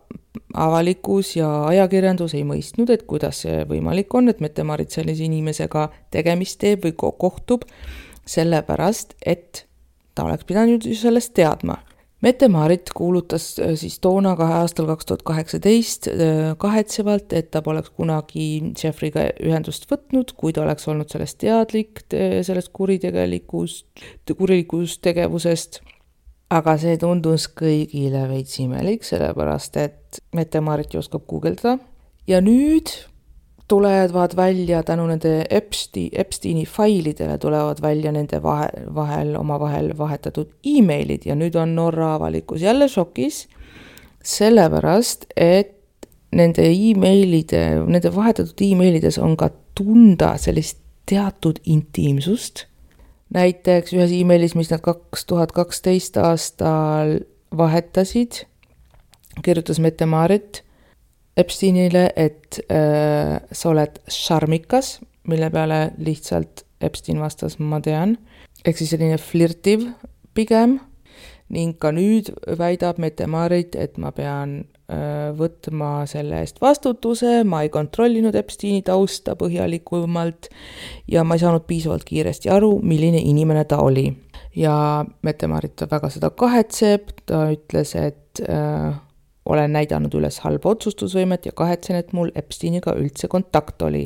avalikkus ja ajakirjandus ei mõistnud, et kuidas see võimalik on, et Mette-Marit sellise inimesega tegemist teeb või kohtub, sellepärast, et ta oleks pidanud ju sellest teadma. Mette-Marit kuulutas siis toona kahe aastal kaks tuhat kaheksateist kahetsevalt, et ta poleks kunagi Jeffreyga ühendust võtnud, kui ta oleks olnud sellest teadlik, sellest kuritegelikust, kurilikust tegevusest. Aga see tundus kõigile veits imelik, sellepärast, et Mette-Marit ju oskab guugeldada. Ja nüüd tulevad välja tänu nende Epstein, Epsteini failidele tulevad välja nende vahel, vahel, oma vahel vahetatud e-mailid ja nüüd on Norra avalikkus jälle šokis, sellepärast, et nende e-mailide, nende vahetatud e-mailides on ka tunda sellist teatud intiimsust. Näiteks ühes e-mailis, mis nad kaks tuhat kaksteist aastal vahetasid, kirjutas Mette-Marit Epsteinile, et äh, sa oled šarmikas, mille peale lihtsalt Epstein vastas, ma tean. Ehk siis selline flirtiv pigem ning ka nüüd väidab Mette-Marit, et ma pean äh, võtma selle eest vastutuse, ma ei kontrollinud Epsteini tausta põhjalikumalt ja ma ei saanud piisavalt kiiresti aru, milline inimene ta oli. Ja Mette-Marit väga seda kahetseb, ta ütles, et äh, olen näidanud üles halba otsustusvõimet ja kahetsen, et mul Epsteiniga üldse kontakt oli.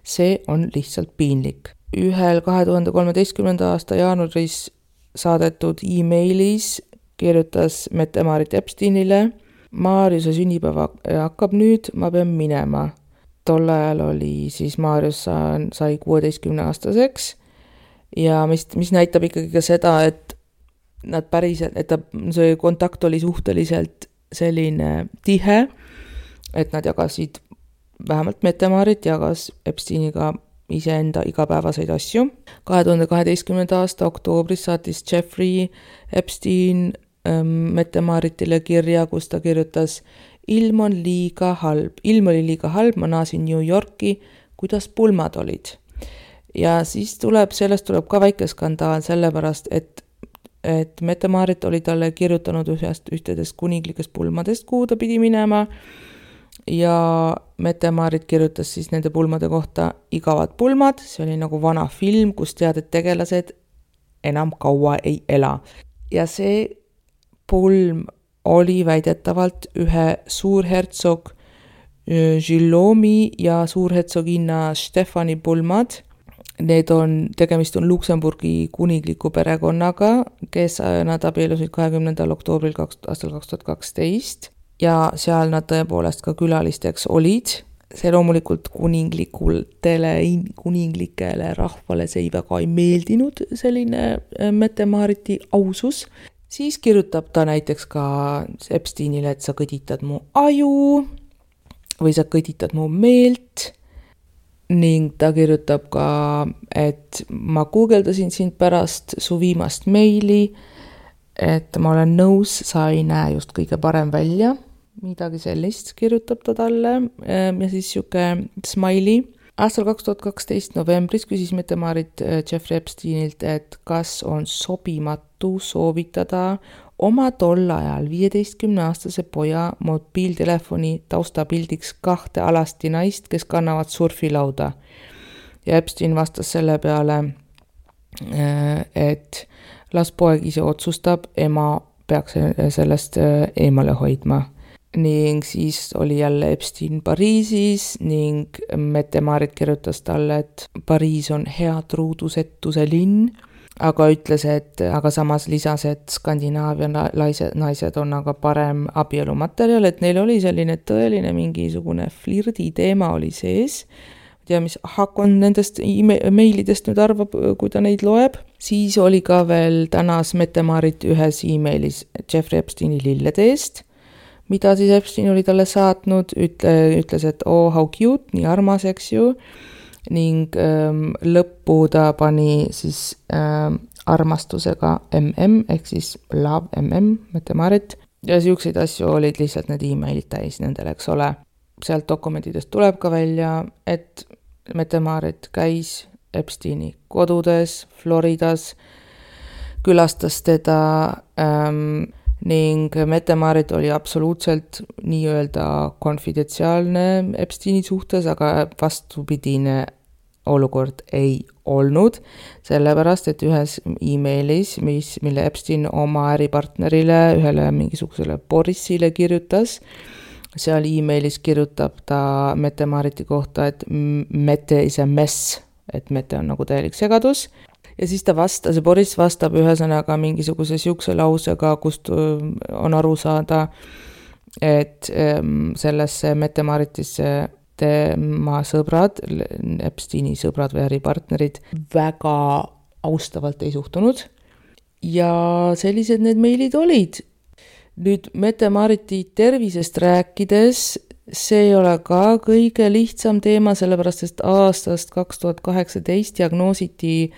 See on lihtsalt piinlik. Ühel kahe tuhande kolmeteistkümnenda aasta jaanuaris saadetud e-mailis kirjutas Mette-Marit Epsteinile, Maarjuse sünnipäeva hakkab nüüd, ma pean minema. Tol ajal oli siis Maarjus sai kuueteistkümne aastaseks ja mis, mis näitab ikkagi ka seda, et nad päriselt, et ta, see kontakt oli suhteliselt selline tihe, et nad jagasid, vähemalt Mette-Marit jagas Epsteiniga iseenda igapäevaseid asju. kahe tuhande kaheteistkümnenda aasta oktoobris saatis Jeffrey Epstein ähm, Mette-Maritile kirja, kus ta kirjutas, ilm on liiga halb, ilm oli liiga halb, ma naasin New Yorki, kuidas pulmad olid. Ja siis tuleb, sellest tuleb ka väike skandaal, sellepärast, et et Mette-Marit oli talle kirjutanud ühest ühtedest kuninglikest pulmadest, kuhu ta pidi minema ja Mette-Marit kirjutas siis nende pulmade kohta igavad pulmad, see oli nagu vana film, kus tead, et tegelased enam kaua ei ela. Ja see pulm oli väidetavalt ühe suurhertsog Guillaume'i ja suurhertsoginna Stefani pulmad. Need on, tegemist on Luksemburgi kuningliku perekonnaga, kes nad abiellusid kahekümnendal oktoobril aastal kaks tuhat kaksteist ja seal nad tõepoolest ka külalisteks olid. See loomulikult kuninglikutele, kuninglikele rahvale see ei väga ei meeldinud, selline Mette-Mariti ausus. Siis kirjutab ta näiteks ka Epsteinile, et sa kõditad mu aju või sa kõditad mu meelt. Ning ta kirjutab ka, et ma guugeldasin sind pärast su viimast meili, et ma olen nõus, sa ei näe just kõige parem välja. Midagi sellist kirjutab ta talle ja siis siuke smiley. Aastal kaks tuhat kaksteist novembris küsis Mette-Marit Jeffrey Epsteinilt, et kas on sobimatu soovitada oma tol ajal viieteistkümneaastase poja mobiiltelefoni taustapildiks kahte alasti naist, kes kannavad surfilauda. Ja Epstein vastas selle peale, et las poeg ise otsustab, ema peaks sellest eemale hoidma. Ning siis oli jälle Epstein Pariisis ning Mette-Maarit kirjutas talle, et Pariis on hea truudusetuse linn, aga ütles, et aga samas lisas, et Skandinaavia naised, naised on aga parem abielumaterjal, et neil oli selline tõeline mingisugune flirdi teema oli sees. Ja mis Hakon nendest e-mailidest nüüd arvab, kui ta neid loeb. Siis oli ka veel tänas Mette-Maarit ühes e-mailis Jeffrey Epsteini lilleteest, mida siis Epstein oli talle saatnud, ütle, ütles, et oh, how cute, nii armas, eks ju. Ning ähm, lõppu ta pani siis ähm, armastusega M M, ehk siis love M M, Mette-Maarit. Ja siukseid asju olid lihtsalt need e-mailid täis nendel, eks ole. Sealt dokumentidest tuleb ka välja, et Mette-Maarit käis Epsteini kodudes, Floridas, külastas teda ähm, ning Mette-Maarit oli absoluutselt nii-öelda konfidentsiaalne Epsteini suhtes, aga vastupidine olukord ei olnud, sellepärast, et ühes e-mailis, mis, mille Epstein oma äripartnerile, ühele mingisugusele Borisile kirjutas, seal e-mailis kirjutab ta Mette-Maariti kohta, et Mette is a mess, et Mette on nagu täielik segadus. Ja siis ta vastas, see Boris vastab ühesõnaga mingisuguse siukse lausega, kust on aru saada, et sellesse Mette-Maaritisse tema sõbrad, Epsteini sõbrad või äripartnerid väga austavalt ei suhtunud. Ja sellised need meilid olid. Nüüd Mette-Maariti tervisest rääkides, see ei ole ka kõige lihtsam teema, sellepärast, et aastast kaks tuhat kaheksateist diagnoositi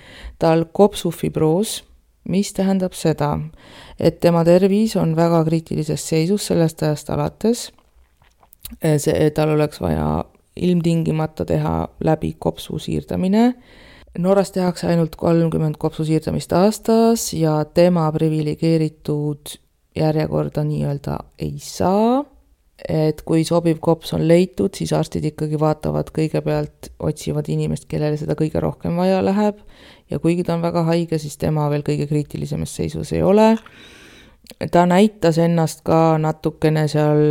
tal kopsufibroos, mis tähendab seda, et tema tervis on väga kriitilises seisus sellest ajast alates. See, tal oleks vaja ilmtingimata teha läbi kopsu siirdamine. Norras tehakse ainult kolmkümmend kopsu siirdamist aastas ja tema privilegeeritud järjekorda nii-öelda ei saa, et kui sobiv kops on leitud, siis arstid ikkagi vaatavad kõigepealt, otsivad inimest, kellele seda kõige rohkem vaja läheb ja kuigi ta on väga haige, siis tema veel kõige kriitilisemas seisus ei ole. Ta näitas ennast ka natukene seal,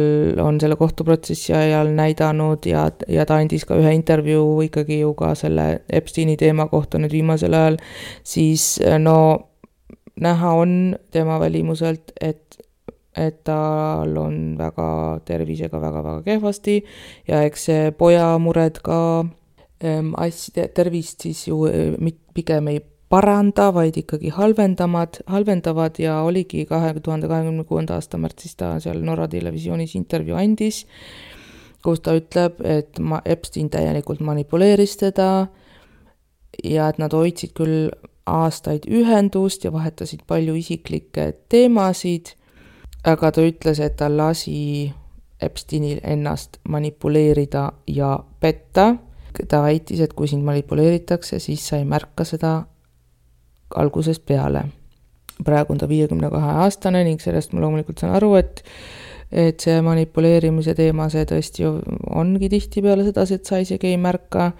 on selle kohtuprotsessi ajal näidanud ja, ja ta andis ka ühe intervjuu ikkagi ju ka selle Epsteini teema kohta nüüd viimasel ajal, siis no näha on tema välimuselt, et, et tal on väga tervisega väga-väga kehvasti ja eks see poja mured ka ähm, asja, tervist siis ju pigem ei paranda, vaid ikkagi halvendamad, halvendavad ja oligi kahe tuhande kahekümne kuuenda aasta märtsis ta seal Norra televisioonis intervjuu andis, kus ta ütleb, et ma, Epstein täielikult manipuleeris teda ja et nad hoidsid küll aastaid ühendust ja vahetasid palju isiklikke teemasid, aga ta ütles, et ta lasi Epsteinil ennast manipuleerida ja petta. Ta väitis, et kui sind manipuleeritakse, siis sa ei märka seda algusest peale. Praegu on ta viiekümne kahe aastane ning sellest ma loomulikult saan aru, et, et see manipuleerimise teema, see tõesti ongi tihti peale seda, et sa isegi ei märka,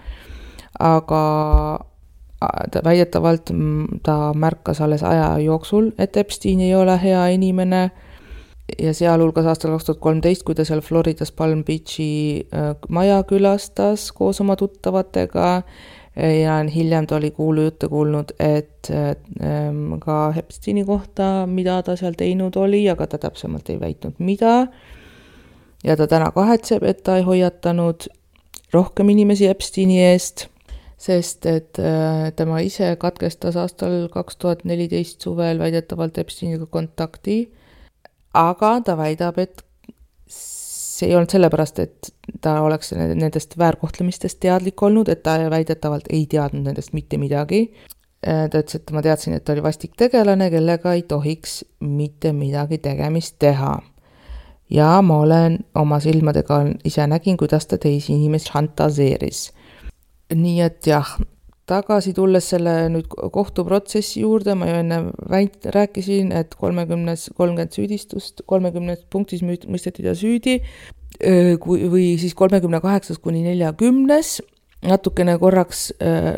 aga ta väidetavalt ta märkas alles aja jooksul, et Epstein ei ole hea inimene ja sealhulgas aastal kaks tuhat kolmteist, kui ta seal Floridas Palm Beachi maja külastas koos oma tuttavatega ja hiljem ta oli kuulu jutte kuulnud, et ka Epsteini kohta, mida ta seal teinud oli, aga ta täpsemalt ei väitnud mida. Ja ta täna kahetseb, et ta ei hoiatanud rohkem inimesi Epsteini eest, sest et tema ise katkestas aastal kaks tuhat neliteist suvel väidetavalt Epsteiniga kontakti, aga ta väidab, et see ei olnud sellepärast, et ta oleks nendest väärkohtlemistest teadlik olnud, et ta väidetavalt ei teadnud nendest mitte midagi. Ta ütles, et ma teadsin, et ta oli vastik tegelane, kellega ei tohiks mitte midagi tegemist teha. Ja ma olen oma silmadega ise nägin, kuidas ta teisi inimest šantaseeris. Nii et jah, tagasi tulles selle nüüd kohtuprotsessi juurde, ma ju enne väit-, rääkisin, et kolmekümnes, kolmkümmend süüdistust, kolmekümnes punktis mõisteti ta süüdi, kui, või siis kolmekümne kaheksas kuni neljakümnes, natukene korraks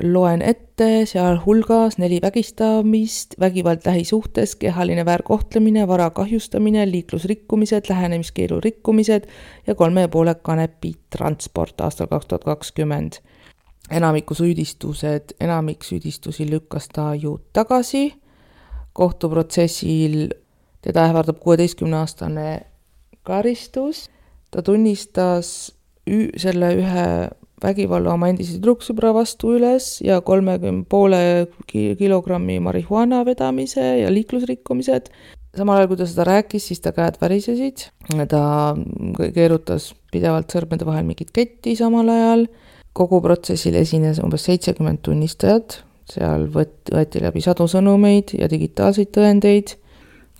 loen ette, seal hulgas neli vägistamist, vägivald lähisuhtes, kehaline väärkohtlemine, vara kahjustamine, liiklusrikkumised, lähenemiskeelu rikkumised ja kolme ja poole kanepi transport aastal kaks tuhat kakskümmend. Enamiku süüdistused, enamik süüdistusi lükkas ta ju tagasi. Kohtuprotsessil teda ähvardab kuueteistkümne aastane karistus. Ta tunnistas ü- selle ühe vägivalla oma endise tüdruksõbra vastu üles ja kolmekümne poole kilogrammi marihuana vedamise ja liiklusrikkumised. Samal ajal, kui ta seda rääkis, siis ta käed värisesid. Ta keerutas pidevalt sõrmede vahel mingit ketti samal ajal. Kogu protsessil esines umbes seitsekümmend tunnistajat. Seal võeti läbi sadu sõnumeid ja digitaalseid tõendeid.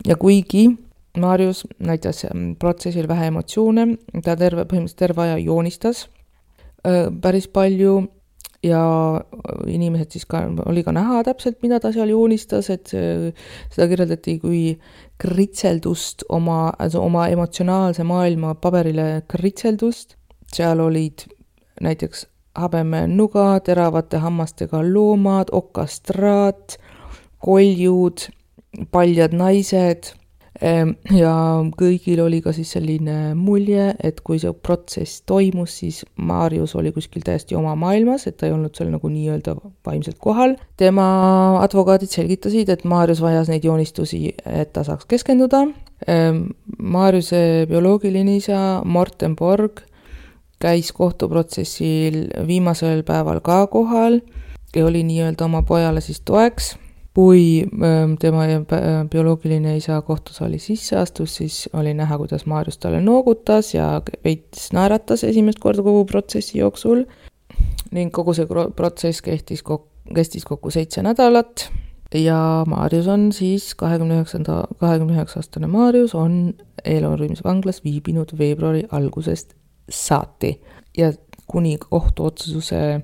Ja kuigi Marius näitas protsessil vähe emotsioone, ta terve, põhimõtteliselt terve aja joonistas päris palju ja inimesed siis ka, oli ka näha täpselt, mida ta seal joonistas, et seda kirjeldati kui kritseldust, oma, oma emotsionaalse maailma paberile kritseldust. Seal olid näiteks habeme nuga, teravate hammastega loomad, okastraat, koljud, paljad naised. Ja kõigil oli ka siis selline mulje, et kui see protsess toimus, siis Marius oli kuskil täiesti oma maailmas, et ta ei olnud seal nagu nii-öelda vaimselt kohal. Tema advokaadid selgitasid, et Marius vajas neid joonistusi, et ta saaks keskenduda. Mariuse bioloogiline isa Morten Borg käis kohtuprotsessil viimasel päeval ka kohal ja oli nii-öelda oma pojale siis toeks. Kui tema bioloogiline isa kohtusaali sisse astus, siis oli näha, kuidas Marius talle noogutas ja veits naeratas esimest korda kogu protsessi jooksul. Ning kogu see protsess kestis kokku, kestis kokku seitse nädalat ja Marius on siis kahekümne üheksa aastane Marius on Eelorviimise vanglas viibinud veebruari algusest saati ja kuni kohtuotsuse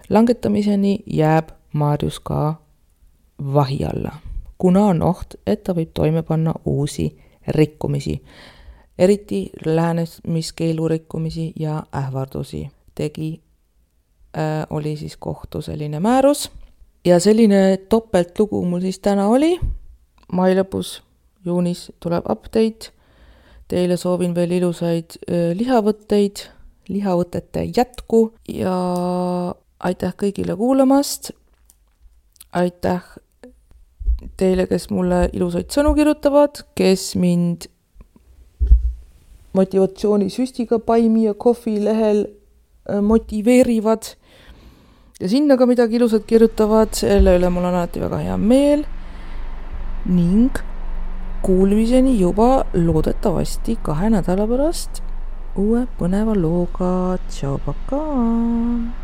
langetamiseni jääb Marius ka vahi alla, kuna on oht, et ta võib toime panna uusi rikkumisi, eriti lähenemiskeelu rikkumisi ja ähvardusi. Tegi, äh, oli siis kohtu selline määrus ja selline topeltlugu mul siis täna oli. Mai lõpus, juunis tuleb update. Teile soovin veel ilusaid äh, lihavõtteid, lihavõtete jätku ja aitäh kõigile kuulamast. Aitäh teile, kes mulle ilusaid sõnu kirjutavad, kes mind motivatsioonisüstiga Paimi ja Kohvi lehel motiveerivad ja sinna ka midagi ilusat kirjutavad, selle üle mul on alati väga hea meel ning kuulmiseni juba loodetavasti kahe nädala pärast uue põneva looga. Tšau, pakaa!